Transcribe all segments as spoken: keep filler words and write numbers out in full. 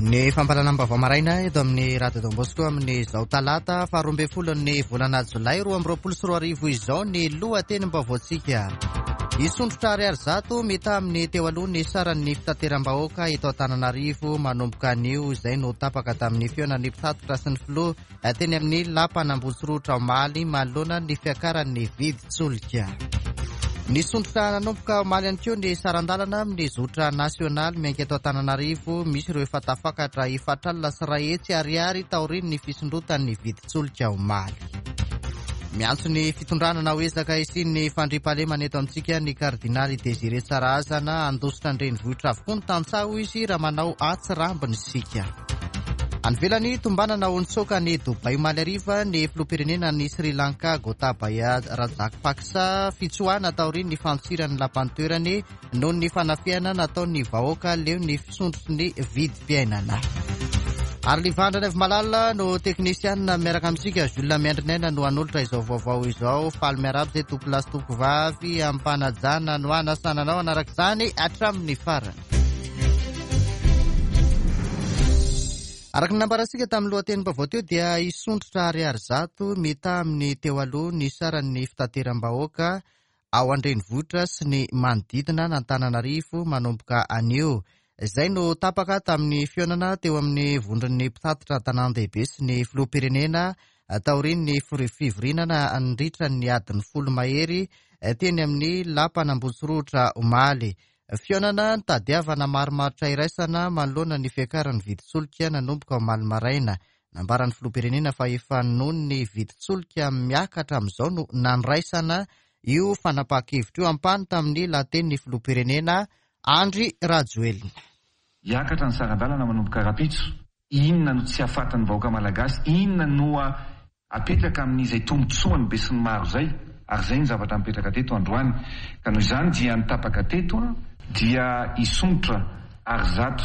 Ny fampahalalam-baovao maraina eto amin'ny Radio Don Bosco amin'izao talata faharoa ambin'ny folon'ny volana jolay roa amby roapolo sy roa arivo izao ny lohatenim-baovaontsika. Hisondrotra ariary zato mitaha amin'ny teo aloha ny saran'ny fitateram-bahoaka eto Antananarivo manomboka anio, izay no tapaka tamin'ny fihaonan'ny mpitatitra sy ny filoha teny amin'ny lapan'Ambohitsorohitra omaly manoloana ny fiakaran'ny vidin-tsolika. Nisondrotra nanomboka omaly ihany koa ny saran-dalana amin'ny zotra nasionaly miainga eto Antananarivo, misy ireo efa tafakatra efatra alina sy iray hetsy ariary taorian'ny fisondrotan'ny vidin-tsolika omaly. Miantso ny fitondrana ho ezaka hisian'ny fandriampahalemana eto amintsika ny kardinaly Désiré Tsarahazana. Handositra an-drenivohitra avokoa ny tantsaha hoy izy raha manao atsirambina isika. Any ivelany, tombanana ho nitsoaka any Dubai omaly hariva ny filoham-pirenena ny Sri Lanka Gotabaya Rajapaksa, fitsoahana taorian'ny fandosiran'ny lapan'ny toerany noho ny fanafihana nataon'ny vahoaka leo ny fisondrotry ny vidim-piainana. Ary Livandra Malala no teknisianina miaraka amintsika, Jules Miandrinaina no hanolotra izao vaovao izao. Faly miarahaba izay tompolahy sy tompovavy ampanajana no anasananao anaraka izany hatramin'ny farany. Araka ny nambarantsika tamin'ny lohatenim-baovao teo dia hisondrotra ariary zato mitaha amin'ny teo aloha ny saran'ny fitateram-bahoaka ao an-drenivohitra sy ny manodidina an'Antananarivo manomboka anio. Izay no tapaka tamin'ny fihaonana teo amin'ny vondron'ny mpitatitra an-tanàn-dehibe sy ny filoham-pirenena taorian'ny fivoriana nandritra ny adiny folo mahery teny amin'ny lapan'Ambohitsorohitra omaly. Fihaonana nitadiavana marimaritra iraisana manoloana ny fiakaran'ny vidin-tsolika nanomboka omaly maraina. Nambaran'ny filoham-pirenena fa efa noho ny vidin-tsolika miakatra amin'izao no nandraisana io fanapahan-kevitra io. Ampahany tamin'ny lahatenin'ny filoham-pirenena Andry Rajoelina. Hiakatra ny saran-dalana manomboka rahampitso. Inona no tsy hahafatin'ny vahoaka malagasy? Inona no apetraka amin'izay tombontsoan'ny besinimaro izay? Ary izay ny zavatra mipetraka teto androany. Ka noho izany dia ny tapaka teto dia hisondrotra ary zato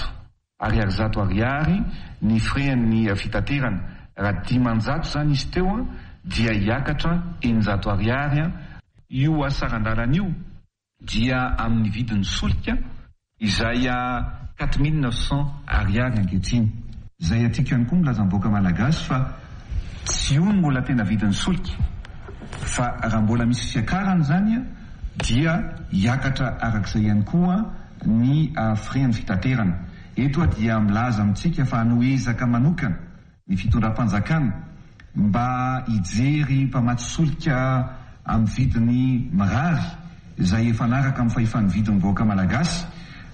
ariary zato ariary ny frais-n'ny fitaterana. Raha dimanjato izany izy teo dia hiakatra eninjato ariary. Io saran-dalana io dia amin'ny vidin'ny solika izay quatre mille neuf cents ariary ankehitriny. Izay atiako ihany koa milaza ny vahoaka malagasy fa tsy io no mbola tena vidin'ny solika, fa raha mbola misy fiakarana izany dia hiakatra arak'izay ihany koa ny frais-n'ny fitaterana. Eto dia milaza amintsika fa hanao ezaka manokana ny fitondram-panjakana mba hijery mpamatsy solika amin'ny vidiny mirary izay efa naraka amin'ny fahefan'ny vidin'ny vahoaka malagasy,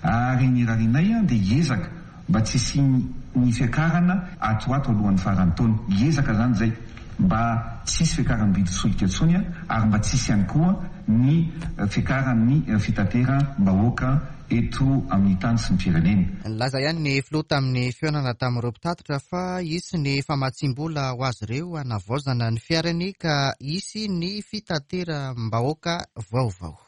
ary ny rarinay dia hiezaka mba tsy hisian'ny fiakarana ato ato alohan'ny faran'ny taona. Hiezaka izany izay mba tsy hisy fiakaran'ny vidin'ny solika intsony, ary mba tsy hisy ihany koa ny fiakaran'ny fitateram-bahoaka eto amin'ny tany sy ny firenena. Nilaza ihany ny filoha tamin'ny fihaonana tamin'ireo mpitatitra fa hisy ny famatsiam-bola ho azy ireo hanavaozana ny fiarany ka hisy ny fitateram-bahoaka vaovao.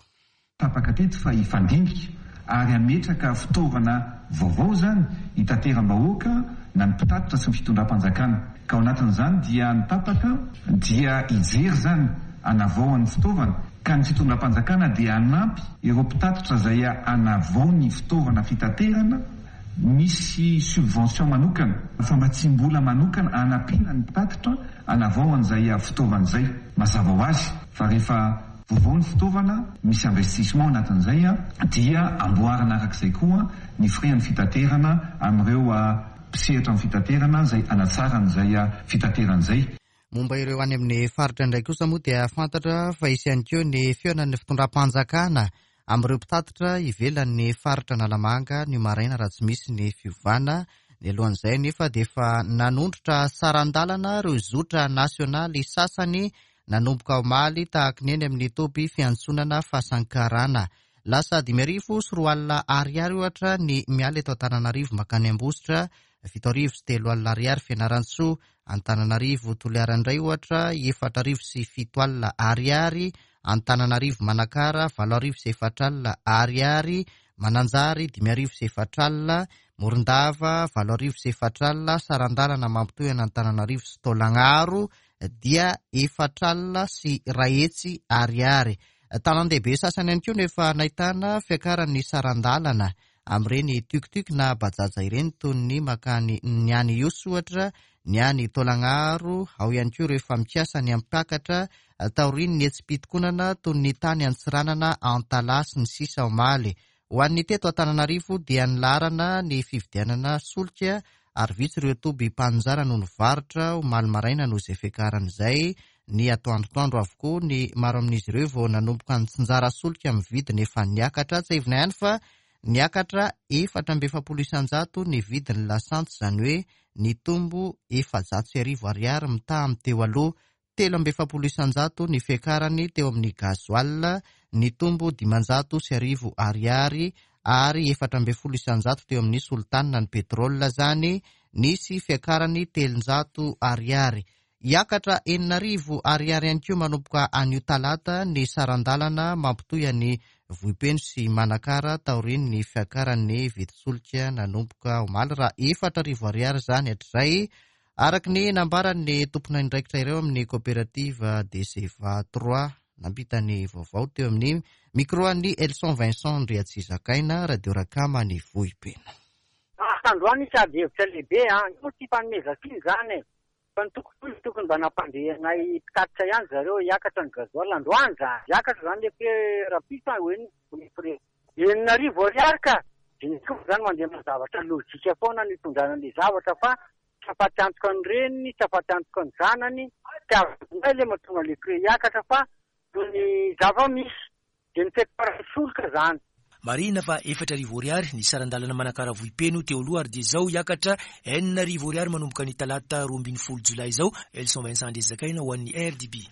Tapaka teto fa hifandinika ary hametraka fitaovana vaovao izany hitateram-bahoaka na ny mpitatitra sy ny fitondram-panjakana. Ka ao anatin'izany dia ny tapaka dia hijery izany hanavao ny fitaovana, ka ny fitondram-panjakana dia hanampy ireo mpitatitra izay hanavao ny fitaovana fitaterana. Misy subvention manokana, famatsiam-bola manokana hanampiana ny mpitatitra hanavao an'izay fitaovana izay. Mazava ho azy fa rehefa vaovao ny fitaovana, misy investissement anatin'izay, dia amboarina arak'izay koa ny frais-n'ny fitaterana amin'ireo mpisehatra amin'ny fitaterana izay hanatsara an'izay fitaterana izay. Momba ireo any amin'ny faritra indray kosa moa dia fantatra fa hisy ihany koa ny fihaonan'ny fitondram-panjakana amin'ireo mpitatitra ivelan'ny faritra Analamanga ny maraina raha tsy misy ny fiovana. Ny alohan'izay nefa dia efa nanondrotra saran-dalana ireo zotra nasionaly sasany nanomboka omaly tahaka ny eny amin'ny toby fiantsonana Fasankarana. Lasa dimy arivo sy roa alina ariary ohatra ny miala eto Antananarivo mankany Ambositra, fito arivo sy telo alina ariary Fianarantsoa, Antananarivo Toliara indray ohatra efatra arivo sy fito alina ariary, Antananarivo Manakara valo arivo sy efatra alina ariary, Mananjary dimy arivo sy efatra alina, Morondava valo arivo sy efatra alina, saran-dalana mampitohy an'Antananarivo sy Taolagnaro dia efatra alina sy iray hetsy ariary. Tanàn-dehibe sasany ihany koa no efa nahitana fiakaran'ny saran-dalana. amin'ireny tuk-tuk na bajaja ireny toy ny makany ny any Ihosy ohatra, ny any Taolagnaro, ao ihany koa ireo efa mikasa ny hampakatra taorian'ny hetsi-pitokonana toy ny tany Antsiranana, Antalaha sy ny sisa omaly. Ho an'ny teto Antananarivo dia nilaharana ny fividianana solika ary vitsy ireo toby mpaninjara no nivarotra omaly maraina noho izay fiakarana izay. Ny atoandrotoandro avokoa ny maro amin'izy ireo vao nanomboka nitsinjara solika amin'ny vidiny efa niakatra. Tsiahivina ihany fa niakatra efatra amby efapolo isanjato ny vidin'ny lasantsy, izany hoe nitombo efajato sy arivo ariary mitaha amin'ny teo aloha. Telo amby efapolo isanjato ny fiakarany teo amin'ny gasoil, nitombo dimanjato sy arivo ariary ary efatra amby folo isanjato teo amin'ny solitany ny petrole, izany nisy fiakarany telonjato ariary. Hiakatra enina arivo ariary ihany koa manomboka anio talata ny saran-dalana mampitohy an'i Vohipeno sy Manakara taorian'ny fiakaran'ny vidin-tsolika nanomboka omaly, raha efatra arivo ariary izany hatrizay, araka ny nambaran'ny tompon'andraikitra ireo amin'ny coopérative D C V A trois nampita ny vaovao teo amin'ny micro an'ny Elson Vincent Andriatsizakaina, Radio Rakama ny Vohipeno. Androany isy ady hevitra lehibe a, io tsy fanomezan-tsiny zany e. Fa ny tokony tokony mba nampandehanay mpitatitra ihany zareo hiakatra ny gasoil androany zany. Hiakatra zany le hoe rahampitso hoe ny prix enina arivo ariary ka. De zany mandeha amin'ny zavatra lojika foana ny hitondrana ny zavatra fa tsy afaty antoka ny reniny, tsy afaty antoka ny zanany. Tsy azonay le mahatonga le prix hiakatra fa ny zava-misy de ny fiakaran'ny solika zany. Marihina fa efatra arivo ariary ny saran-dalana Manakara Vohipeno teo aloha ary dia izao hiakatra enina arivo ariary manomboka ny talata roa ambin'ny folo jolay izao. Elson Vincent Andriazakaina ho an'ny R D B.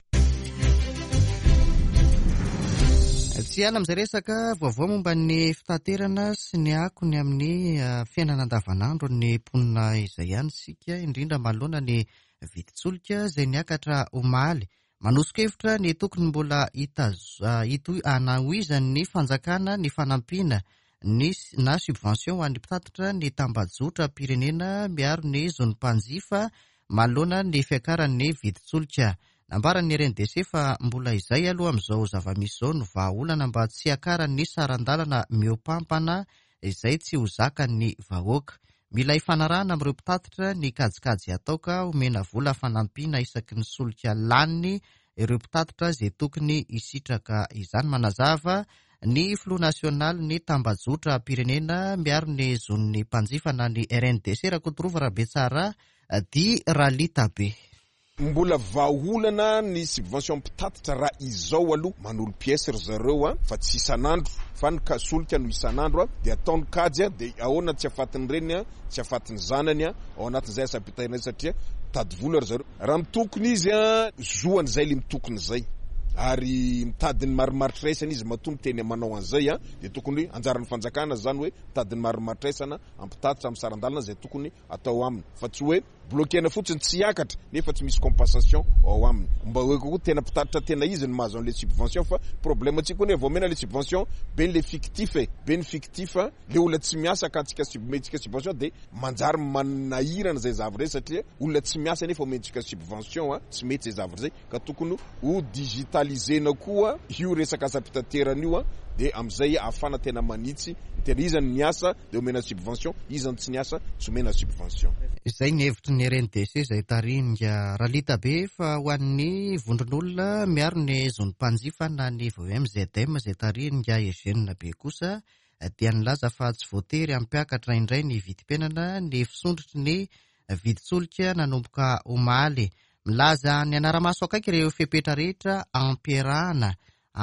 Tsy hiala amin'izay resaka vaovao momba ny fitaterana sy ny akony amin'ny fiainana andavanandro ny mponina izay ihany isika, indrindra manoloana ny vidin-tsolika izay niakatra omaly. Manoso-kevitra ny tokony mbola hitohy hanohizan'ny fanjakana ny fanampiana ny na subvention ho an'ny mpitatitra ny tambajotra-pirenena miaro ny zon'ny mpanjifa manoloana ny fiakaran'ny vidin-tsolika. Nambaran'ny R N D C fa mbola izay aloha amin'izao zava-misy izao no vahaolana mba tsy hiakaran'ny saran-dalana mihoampampana izay tsy ho zakan'ny vahoaka. Mila ifanarahana amin'ireo mpitatitra ny kajikajy atao ka omena vola fanampiana isaky ny solika laniny ireo mpitatitra izay tokony hisitraka izany. Manazava ny filoha nasionaly ny tambajotra pirenena miaro ny zon'ny mpanjifa na ny R N D C, Rakotorova Rabetsara di Ralita Be. Mbola vahaolana ny subvention mpitatitra raha izao aloha manolo pièce ry zareo a, fa tsy isan'andro fa ny solika no isan'andro a, de ataony kajy a, de ahoana tsy afatiny reniny a, tsy afatiny zanany a, ao anatin'izay asam-pitahiana satria mitady vola ry zareo. Raha mitokony izy a, zoany zay le mitokony zay ary mitady ny marimaritra iraisana izy matoa miteny manao an'izay a, de tokony anjaran'ny fanjakana zany hoe mitady ny marimaritra iraisana ampitatitra amin'ny saran-dalana zay tokony atao aminy, fa tsy hoe bloquena fotsiny tsy hiakatra nefa tsy misy compensation ao aminy. Mba hoe kokoa tena mpitatitra tena izy ny mahazo an'le subvention, fa problème atsika koa ne vao omena le subvention be le fictif e, be ny fictif, le olona tsy miasa ka antsika omentsika subvention, de manjary manahirana zay zavatra zay satria olona tsy miasa nefa omentsika subvention a, tsy mety zay zavatra zay, ka tokony ho digitalisena koa io resaka asam-pitaterana io a, de am'izay ahafana tena manitsy tena iza ny miasa de omena subvention, iza ny tsy niasa tsy omena subvention. Izay ny hevitry ny R N D C izay tarihinga Ralita Be. Fa ho an'ny vondron'olona miaro ny zon'ny mpanjifa na ny V O M Z M izay tarihinga Eugène Be kosa dia nilaza fa tsy voatery hampiakatra indray ny vidim-piainana ny fisondrotry ny vidin-tsolika nanomboka omaly. Milaza ny anara-maso akaiky ireo fepetra rehetra ampiarahana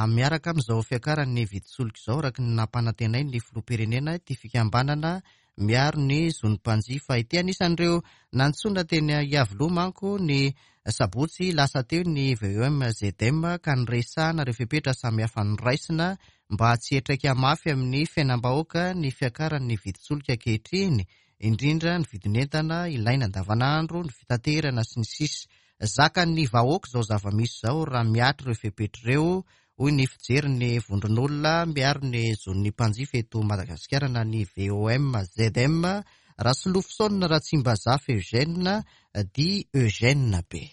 miaraka amin'izao fiakaran'ny vidin-tsolika izao, araka ny nampanantenainy ny filoham-pirenena ity fikambanana miaro ny zon'ny mpanjifa ity. Anisan'ireo nantsoina teny Iavoloha manko ny sabotsy lasa teo ny V O M Z M ka niresahana ireo fepetra samihafa noraisina mba tsy hiantraika mafy amin'ny fiainam-bahoaka ny fiakaran'ny vidin-tsolika ankehitriny, indrindra ny vidin'entana ilaina andavanandro, ny fitaterana sy ny sisa. Zakan'ny vahoaka izao zava-misy izao raha mihatra ireo fepetra ireo, hoy ny fijery vondron'olona miaro ny zon'ny mpanjifa eto Madagasikara na ny V O M Z M, Rasolofosona Ratsimbazafy Eugène di Eugène Be.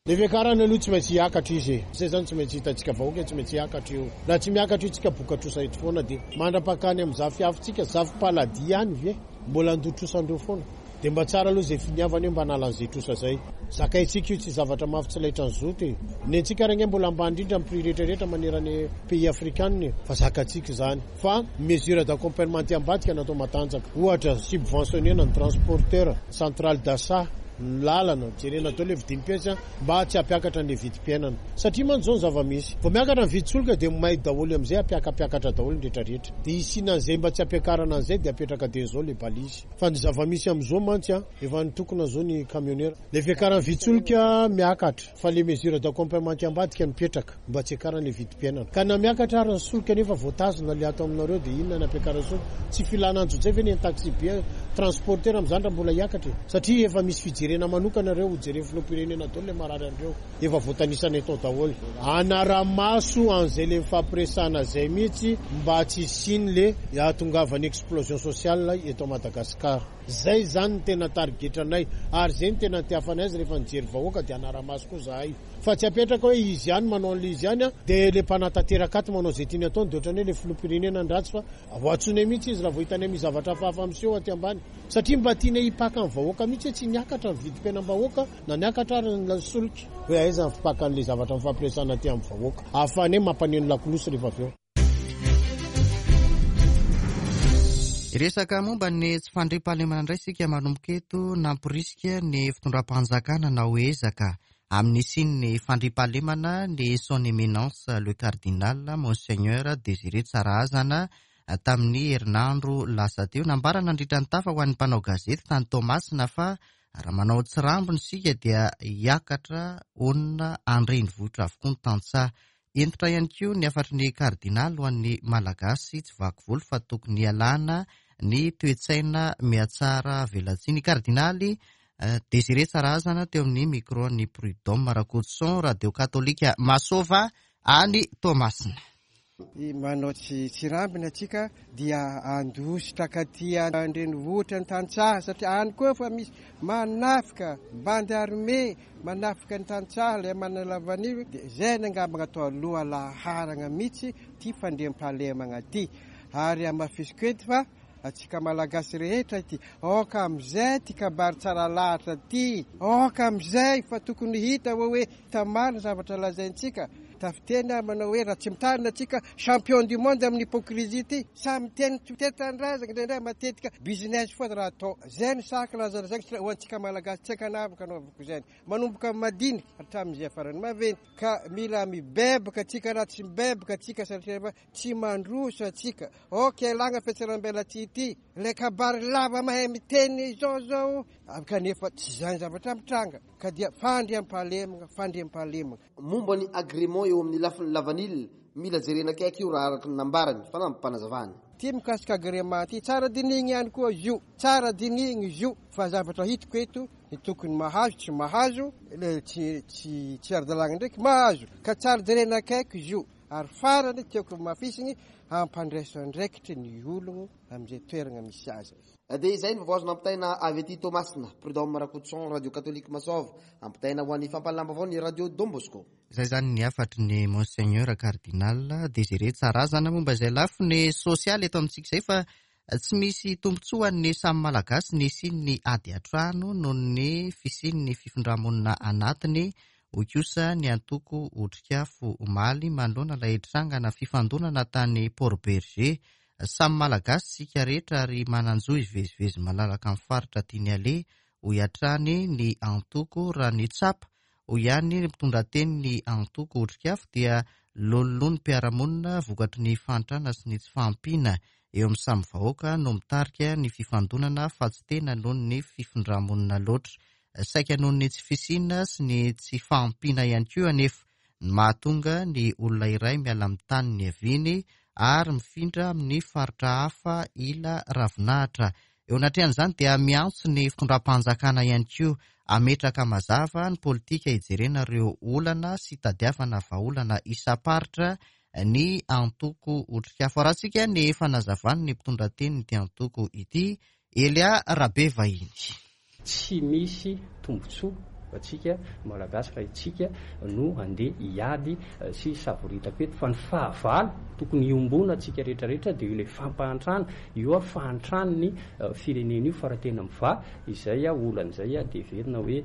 Le fiakarana aloha tsy maintsy hiakatra izy e. Zay zany tsy maintsy hitantsika vahoaka, tsy maintsy hiakatra io. Raha tsy miakatra io tsika boka trosa eto foana, dia mandra-pakany amin'ny zafiafintsika, zafim-paladia ihany ve mbola andoa trosandreo foana. Dia mba tsara aloha izay finiavana io mba hanalan'izay trosa izay. Zakaintsika io, tsy zavatra mafy tsy laitran'ny zoto e. Ny antsika ary ange mbola ambany indrindra amin'ny prix rehetrarehetra manerana pays africain, fa zakantsika izany. Fa mesure d'accompagnement aty ambadika natao matanjaka. Ohatra, subventionner ny transporteur, centrale d'achat, ny lalana, jerena daholo le vidim-piainana mba tsy hampiakatra ny vidim-piainana. Satria mantsy izao ny zava-misy. Vao miakatra ny vidin-tsolika dia may daholo amin'izay, hampiakapiakatra daholo ny rehetrarehetra. Dia isiana an'izay mba tsy hampiakarana an'izay dia apetraka dia izao le balise. Fa ny zava-misy amin'izao mantsy a, efa nitokona izao ny camionneur. Le fiakaran'ny vidin-tsolika miakatra, fa le mesure d'accompagnement aty ambadika mipetraka mba tsy hiakarana le vidim-piainana. Ka na miakatra ary ny solika nefa voatazona le ato aminareo dia inona ny ampiakarana solika? Tsy filana anjojay ve ny taxi be transporteur amin'izany raha mbola hiakatra e? Satria efa misy fijerena manokana ireo, ho jeren'ny filoham-pirenena daholo le marary an'ireo. Efa voatanisana eto daholo. Anara-maso an'izay le mifampiresahana izay mihitsy mba tsy hisiany le hahatongavan'ny explosion sociale eto Madagasikara. Zay zany ny tena tarigetranay, ary zay ny tena tiafanay azy rehefa nijery vahoaka dia anara-maso koa zahay. Fa tsy apetraka hoe izy ihany manao an'ilay izy ihany, dia le mpanatanteraka ato manao izay tiany ataony, dia ohatran'ny hoe le filoham-pirenena ny ratsy, fa voatsonay mihitsy izy raha vao hitanay misy zavatra hafahafa miseho aty ambany. Satria mba tianay hipaka ny vahoaka mihitsy hoe tsy niakatra ny vidim-piainam-bahoaka na niakatra ary ny solika. Hoe aiza ny fipakan'ilay zavatra mifampiresahana aty amin'ny vahoaka. Ahafahanay mampaneno lakolosy rehefa avy eo. Resaka momba ny tsy fandriampahalemana indray isika manomboka eto. Namporisika ny fitondram-panjakana na ezaka amin'ny hisian'ny fandriampahalemana ny son éminence le cardinal monseigneur Désiré Tsarahazana tamin'ny herinandro lasa teo. Nambara nandritra ny tafa ho an'ny mpanao gazety tany Toamasina fa raha manao tsirambina isika dia hiakatra honina an-drenivohitra avokoa ny tantsaha. Entitra ihany koa ny hafatry ny kardinaly ho an'ny Malagasy tsy vaky volo fa tokony hialana ny toe-tsaina mihatsara velatsihy. Ny kardinaly Désiré Tsarahazana teo amin'ny micro ny Prud'homme Rakotoson, radio katolika Masova any Toamasina. Manao tsy tsirambina atsika dia andositra katy an-drenivohitra ny tantsaha, satria any koa fa misy manafika bande armée manafika ny tantsaha ilay manalavan'io. Dia zay ny angamba atao aloha laharana mihitsy ty fandriampahalemana ty. Ary hamafisiko eto fa atsika Malagasy rehetra ity, aoka amin'izay ty kabary tsara lahatra ty, aoka amin'izay fa tokony hita hoe hoe tamarina zavatra lazaintsika. Tafiteny manao hoe raha tsy mitarina atsika champion du monde amin'ny hypocrisie ty, samy miteny tetan-drazana indraindray matetika business foana raha atao. Zay ny saka lazalazaina ho antsika Malagasy tsy ankanavaka anaovako izany, manomboka amin'ny madinika hatramin'izay farany maventy. Ka mila mibebaka atsika, raha tsy mibebaka atsika satria tsy mandroso atsika. Ok, alagna fiatsaram-belatsihy ity, ilay kabary lava mahay miteny izao zao, kanefa tsy izany zavatra mitranga. Ka dia fandriampahalemana, fandriampahalemana. Momba ny agrément eo amin'ny lafiny lavanila, mila jerena akaiky io raha araka ny nambarany fanampim-panazavana. Ty mikasika agrément ty tsara dinihina ihany koa izy io, tsara dinihina izy io, fa zavatra hitako eto ny tokony mahazo tsy mahazo, le tsy tsy tsy ara-dalàna ndraiky mahazo, ka tsara jerena akaiky izy io. Ary farany tiako mafisiny hampandraiso andraikitra ny ologno amin'izay toerana misy azy. Dia izay ny vaovao azo nampitaina avy aty Toamasina. Prud'homme Rakotoson, radio katolika Masova, ampitaina ho an'ny fampahalalam-baovao ny radio Don Bosco. Izay zany ny hafatry ny monseigneur cardinal Désiré Tsarahazana momba izay lafiny sosialy eto amintsika izay, fa tsy misy tombontsoa ny samy Malagasy ny hisian'ny ady an-trano noho ny fisian'ny fifindramonina anatiny. Hoy kosa ny antoko Otrikafo omaly manoloana ilay trangana fifandonana tany Port-Bergé. Samy Malagasy isika rehetra ary manan-jo hivezivezy malalaka amin'ny faritra tiany aleha, hoy hatrany ny antoko. Raha ny tsapa, hoy ihany ny mpitondra teny ny antoko Otrikafo, dia lololoha ny mpiara-monina vokatry ny fahantrana sy ny tsy fahampiana eo amin'ny samy vahoaka no mitarika ny fifandonana fa tsy tena noho ny fifindramonina loatra. Saika noho ny tsy fisiana sy ny tsy fahampiana ihany koa anefa ny mahatonga ny olona iray miala amin'ny tany niaviany ary mifindra amin'ny faritra hafa ila ravinahitra. Eo anatrehan'izany dia miantso ny fitondram-panjakana ihany koa ametraka mazava ny politika hijerena ireo olana sy tadiavana vahaolana isam-paritra ny antoko Otrikafo. Arahantsika ny fanazavany ny mpitondra teny ity antoko ity, Elia Rabevahiny. Tsy misy tombontsoa Atsika Malagasy raha itsika no andeha hiady sy savoritaka eto, fa ny fahavalo tokony hiombona atsika rehetrarehetra dia io ilay fampahantrana io a fahantran'ny firenena io, fa raha tena mivaha izay a olana izay a dia heverina hoe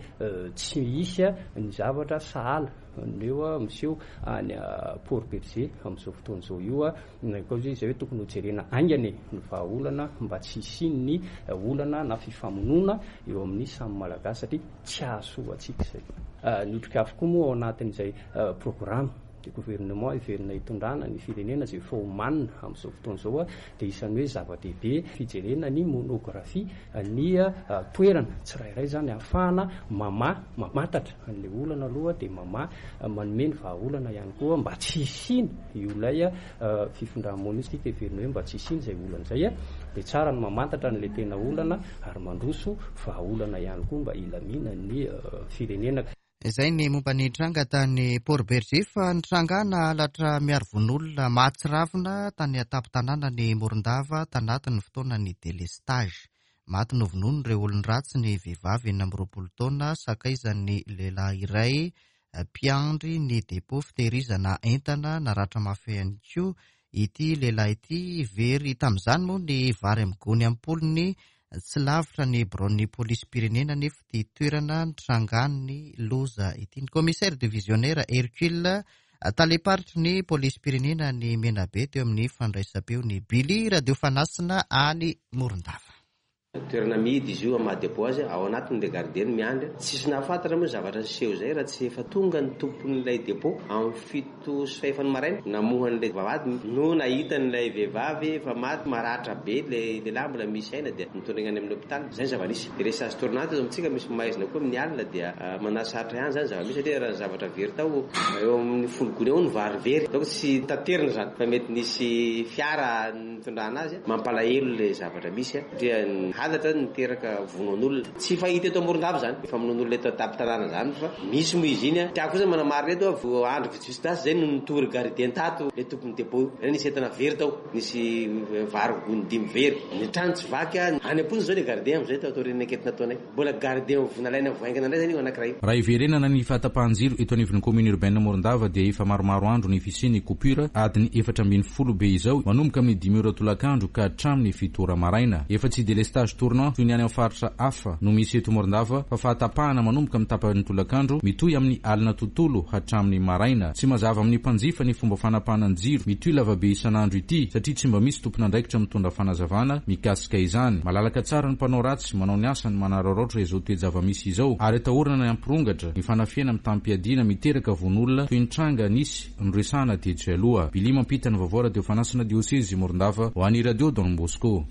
tsy hisy ny zavatra sahala eo a miseho any Port Bergé amin'izao fotoana izao io a. Koa izay hoe tokony hojerena haingana ny vahaolana mba tsy hisian'ny olana na fifamonoana eo amin'ny samy Malagasy, satria tsy hahasoa antsika izay. Ny otrikafo koa moa ao anatin'izay programme de gouvernement heverina hitondrana ny firenena izay efa homanina amin'izao fotoana izao a dia isan'ny hoe zava-dehibe fijerena ny monographie ny toerana tsirairay zany ahafahana mamaha mamantatra an'ilay olana aloha, dia mamaha manome ny vahaolana ihany koa mba tsy hisiana io ilay fifindra-monina io. Heverina hoe mba tsy hisiana izay olana izay a dia tsara ny mamantatra an'ilay tena olana ary mandroso vahaolana ihany koa mba hilamina ny firenena. Izay ny momba ny tranga tany Port Bergé, fa nitrangana halatra miaro vononolona mahatsiravina tany an-tampon-tanàna ny Morondava tanatin'ny fotoanan'ny délestage. Maty novonono ireo olon-dratsy ny vehivavy enina amby roapolo taona sakaizan'ny lehilahy iray mpiandry ny depôt fitehirizana entana. Naratra mafy ihany koa ity lehilahy ity. Very tamin'izany moa ny vary amin'ny gony am-polony tsy lavitra ny biraon'ny polisim-pirenena nefa ity toerana nitrangan'ny loza ity. Ny commissaire divisionnaire Hercule, tale-paritry ny polisim-pirenena ny Menabe, teo amin'ny fandraisam-peo ny Billy Radio Fanasina any Morondava. Toerana mihidy izy io amin'ny maha dépôt azy, ao anatiny le gardien miandry. Tsisy nahafantatra moa zavatra niseho izay raha tsy efa tonga ny tompon'ilay dépôt amin'ny fito sy fahefany maraina namohan'ilay vavahady no nahita an'ilay vehivavy efa maty maratra be ilay lehilahy mbola misy aina, dia nitondra any amin'ny hôpitaly. Izay ny zava-nisy. Délestage tournant eto amintsika misy maizina koa amin'ny alina dia manasarotra ihany zany zava-misy, satria raha ny zavatra very tao eo amin'ny folo gony eo ny vary very, donc tsy taterina zany fa mety nisy fiara nitondrana azy. Mampalahelo ilay zavatra misy satria halatra niteraka vonoan'olona tsy fahita eto Morondava zany, famonoan'olona eto an-tampon-tanàna zany, fa misy moa izy iny a. Tiako kosa manamarina eto vo andro vitsivitsy lasa zay no nitory gardien tato le tompon'ny dépôt, nisy entana very tao, nisy vary gony dimy very, ny trano tsy vaky a. Any am-ponja zao le gardien am'izay tao aorian'ny enquête nataonay, mbola gardien vonalaina voaingana indray zany io anankiray. Raha iverenana ny fahatapahan-jiro eto anivon'ny commune urbaine Morondava dia efa maromaro andro ny fisian'ny coupure adiny efatra ambin'ny folo be izao, manomboka amin'ny dimy ora tolakandro ka hatramin'ny fito ora maraina. Efa tsy délestage tournant toy ny any amin'ny faritra hafa no misy eto Morondava, fa fahatapahana manomboka amin'ny tapany tolakandro mitohy amin'ny alina tontolo hatramin'ny maraina. Tsy mazava amin'ny mpanjifa ny fomba fanapahana ny jiro mitohy lavabe isan'andro ity, satria tsy mba misy tompon'andraikitra mitondra fanazavana mikasika izany. Malalaka tsara ny mpanao ratsy manao ny asany manararaotra izao toe-java-misy izao, ary atahorana ny hampirongatra ny fanafihana mitam-piadiana miteraka vononolona toy ny tranga nisy noresahana tetsy aloha. Billy mampita ny vaovao Radio Fanasina Diocese Morondava ho an'ny Radio Don Bosco.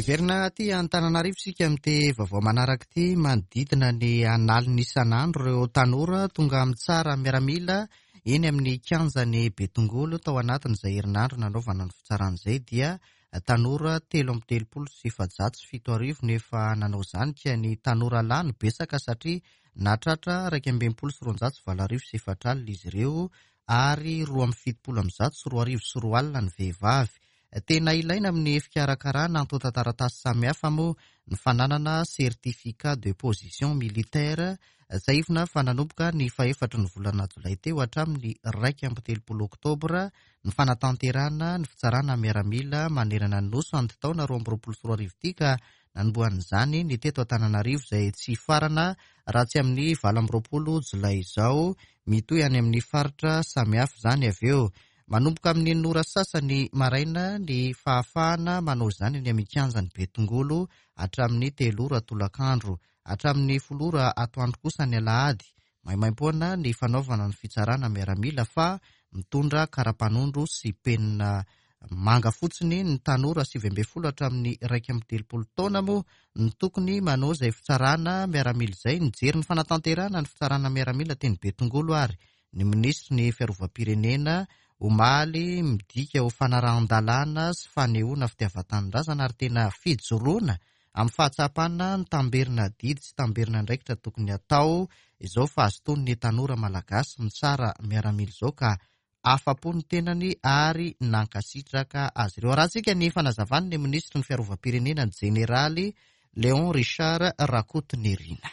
Hiverina aty Antananarivo isika amin'ity vaovao manaraka ity. Manodidina ny analiny isan'andro ireo tanora tonga mitsara miaramila eny amin'ny kianjan'ny Betongolo. Tao anatin'izay herinandro nanaovana ny fitsarana izay dia tanora telo amby telopolo sy efajato sy fito arivo nefa nanao izany, ka ny tanora lahy no betsaka satria nahatratra iraika amby enimpolo sy roanjato sy valo arivo sy efatra alina izy ireo, ary roa amby fitopolo amby zato sy roa arivo sy roa alina ny vehivavy. Tena ilaina amin'ny fikarakarana antontan-taratasy samihafa moa ny fananana certificat de position militaire. Tsiahivina fa nanomboka ny fahefatry ny volana jolay teo hatramin'ny iraika amby telopolo oktobra ny fanatanterahana ny fitsarana miaramila manerana ny nosy amin'ny taona roa amby roapolo sy roa arivo ity, ka nanombohan'izany ny teto Antananarivo izay tsy hifarana raha tsy amin'ny valo amby roapolo jolay izao. Mitohy any amin'ny faritra samihafa izany avy eo. Manomboka amin'ny enina ora sasany maraina ny fahafahana manao izany eny amin'ny kianjan'ny Betongolo hatramin'ny telo ora tolakandro, hatramin'ny folo ora atoandro kosa ny alahady. Maimaimpoana ny fanaovana ny fitsarana miaramila, fa mitondra karapanondro sy penina manga fotsiny ny tanora sivy ambin'ny folo hatramin'ny iraika amby telopolo taona moa ny tokony manao izay fitsarana miaramila izay. Nijery ny fanatanterahana ny fitsarana miaramila teny Betongolo ary ny minisitry ny fiarovam-pirenena omaly, midika ho fanarahan-dalàna sy fanehoana fitiavan-tanindrazana ary tena fijoroana amin'ny fahatsapana ny tamberina adidy sy tamberina andraikitra tokony atao izao fahazotoan'ny tanora malagasy mitsara miaramila izao, ka afa-po ny tenany ary nankasitraka azy ireo. Arahantsika ny fanazavany ny minisitry ny fiarovam-pirenena ny jeneraly Léon Richard Rakotonirina.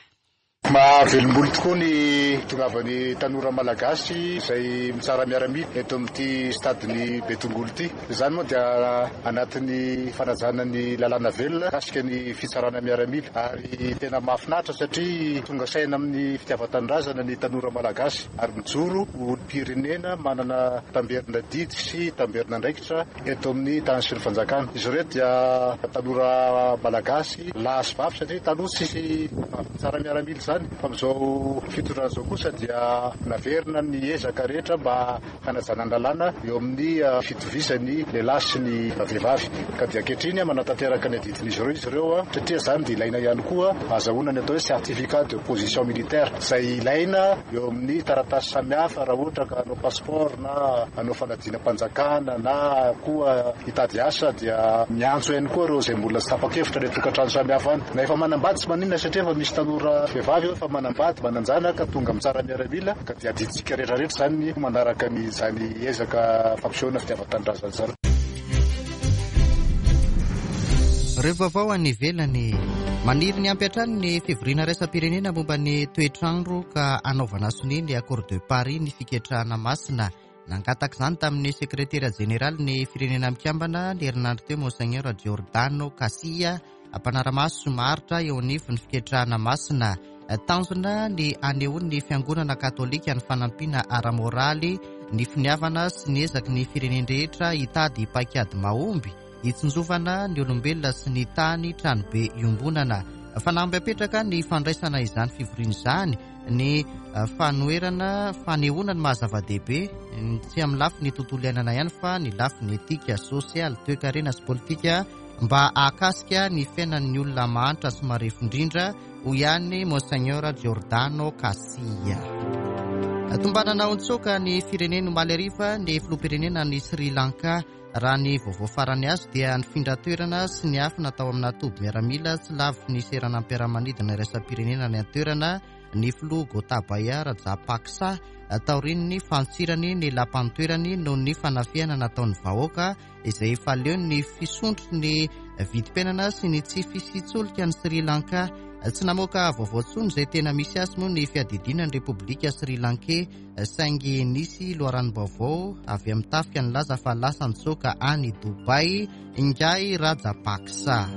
Mahavelombolo tokoa ny tongavan'ny tanora malagasy izay mitsara miaramila eto amin'ity stade-ny Betongolo ity. Izany moa dia anatin'ny fanajana ny lalàna velona mikasika ny fitsarana miaramila, ary tena mahafinaritra satria tonga saina amin'ny fitiavan-tanindrazana ny tanora malagasy ary mijoro ho olom-pirenena manana tamberina didy sy tamberina andraikitra eto amin'ny tany sy ny fanjakana. Izy ireo dia tanora malagasy lahy sy vavy satria taloha tsisy mitsara miaramila izany. Fa amin'izao fitondrana izao kosa dia naverina ny ezaka rehetra mba hanajana ny lalàna eo amin'ny fitovizany lehilahy sy ny vehivavy. Ka dia ankehitriny manatanteraka ny adidin'izy ireo izy ireo, satria izany dia ilaina ihany koa ahazoana ny atao hoe certificat de position militaire izay ilaina eo amin'ny taratasy samihafa raha ohatra ka hanao passeport na hanao fanadinam-panjakana na koa hitady asa, dia miantso ihany koa ireo izay mbola tsy tapa-kevitra ny tokantrano samihafa any. Na efa manambady tsy maninona satria efa misy tanora vehivavy efa manambady mananjanaka tonga mitsara miaramila, ka dia adidintsika rehetrarehetra izany manaraka ny izany ezaka fampisehoana fitiavan-tanindrazana izany. Ireo vaovao any ivelany. Maniry ny ampy hatrany ny fivoriana iraisam-pirenena momba ny toetrandro ka anaovana sonia ny Accord de Paris ny fiketrahana masina. Nangataka izany tamin'ny sekretera jeneraly ny firenena mikambana ny herinandro teo Monseigneur Giordano Cassia, mpanara-maso maharitra eo anivon'ny fiketrahana masina. Tanjona ny anehoan'ny fiangonana katolika ny fanampiana ara-moraly, ny finiavana sy ny ezaky ny firenen-drehetra hitady paikady mahomby hitsinjovana ny olombelona sy ny tany tranobe iombonana. Fanamby apetraka ny fandraisana izany fivoriana izany, ny fanoherana fanehoana ny maha-zava-dehibe tsy amin'ny lafiny tontolo iainana ihany fa ny lafiny etika, sosialy, toekarena sy politika mba hahakasika ny fiainan'ny olona mahantra sy marefo indrindra, hoy ihany Monseigneur Giordano Cassia. Tombanana ho nitsoaka ny firenena omaly hariva ny filoham-pirenena ny Sri Lanka. Raha ny vaovao farany azo dia nifindra toerana sy niafina tao amina toby miaramila tsy lavitry ny seranam-piaramanidina iraisam-pirenena ny an-toerana ny filoha Gotabaya Rajapaksa taorian'ny fantsirany ny lapan-toerany noho ny fanafihana nataon'ny vahoaka izay efa leo ny fisondrotry ny vidim-piainana sy ny tsy fisian-tsolika ny Sri Lanka. Tsy namoaka vaovao intsony izay tena misy azy moa ny fiadidiana ny Repoblika Sri Lankey, saingy nisy loharanom-baovao avy amin'ny tafika nilaza fa lasa nitsoaka any Dubai ingahy Rajapaksa.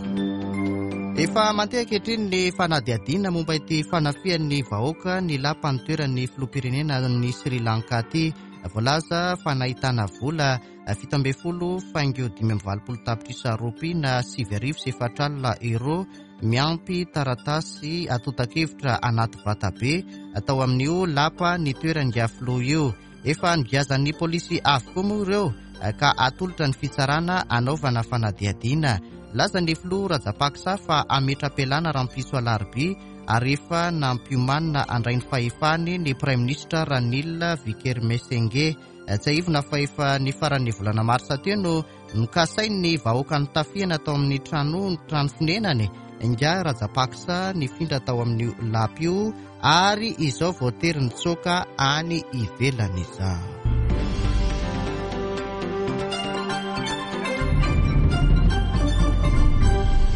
Efa mandeha ankehitriny ny fanadihadiana momba ity fanafihan'ny vahoaka ny lapan-toeran'ny filoham-pirenena ny Sri Lanka ity. Voalaza fa nahitana vola fito ambin'ny folo faingo dimy amby valopolo tapitrisa ropia na sivy arivo sy efatra alina euro miampy taratasy atontan-kevitra anaty vatabe atao amin'io lapa ny toeran'ny filoha io. Efa nogiazan'ny polisy avokoa moa ireo ka atolotra ny fitsarana anaovana fanadihadiana. Laza ny filoha Rajapaksa fa hametra-pialana rahampitso alarobia ary efa nampiomanina handray ny fahefany ny Praiminisitra Ranil Wickremesinghe. Tsiahivina fa efa ny faran'ny volana marsa teo no nokasain'ny vahoaka notafihana tao amin'ny trano trano fonenany ingahy Rajapaksa nifindra tao amin'io lapa io ary izao voatery nitsoaka any ivelany izao.